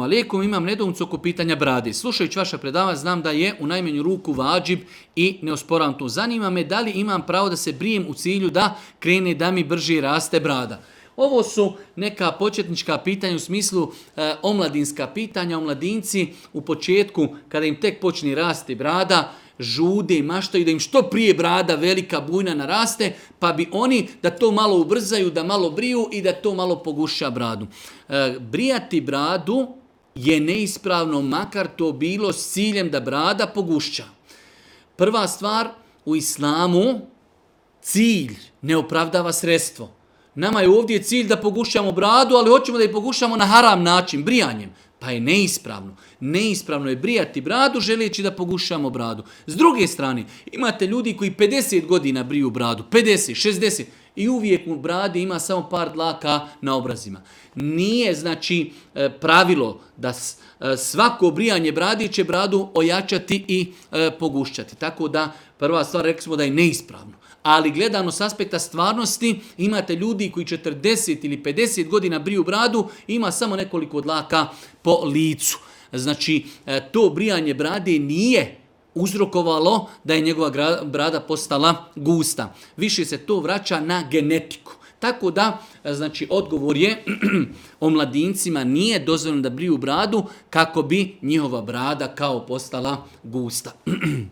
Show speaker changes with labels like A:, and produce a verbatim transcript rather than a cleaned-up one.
A: Alejkum, imam nedoumicu oko pitanja brade. Slušajući vaša predavanja znam da je u najmanju ruku vađib i ne osporavam to. Zanima me da li imam pravo da se brijem u cilju da krene da mi brže raste brada. Ovo su neka početnička pitanja u smislu e, omladinska pitanja. Omladinci u početku kada im tek počne rasti brada žude i maštaju da im što prije brada velika bujna naraste, pa bi oni da to malo ubrzaju, da malo briju i da to malo poguša bradu. E, brijati bradu je neispravno, makar to bilo s ciljem da brada pogušća. Prva stvar, u islamu cilj ne opravdava sredstvo. Nama je ovdje cilj da pogušamo bradu, ali hoćemo da je pogušamo na haram način, brijanjem. Pa je neispravno. Neispravno je brijati bradu želeći da pogušamo bradu. S druge strane, imate ljudi koji pedeset godina briju bradu, pedeset, šezdeset, i uvijek u bradi ima samo par dlaka na obrazima. Nije, znači, pravilo da svako brijanje bradi će bradu ojačati i pogušćati. Tako da, prva stvar, rekli smo da je neispravno. Ali gledano s aspekta stvarnosti, imate ljudi koji četrdeset ili pedeset godina briju bradu, ima samo nekoliko dlaka po licu. Znači, to brijanje brade nije uzrokovalo da je njegova brada postala gusta. Više se to vraća na genetiku. Tako da, znači, odgovor je o mladincima nije dozvoljeno da briju bradu kako bi njihova brada kao postala gusta.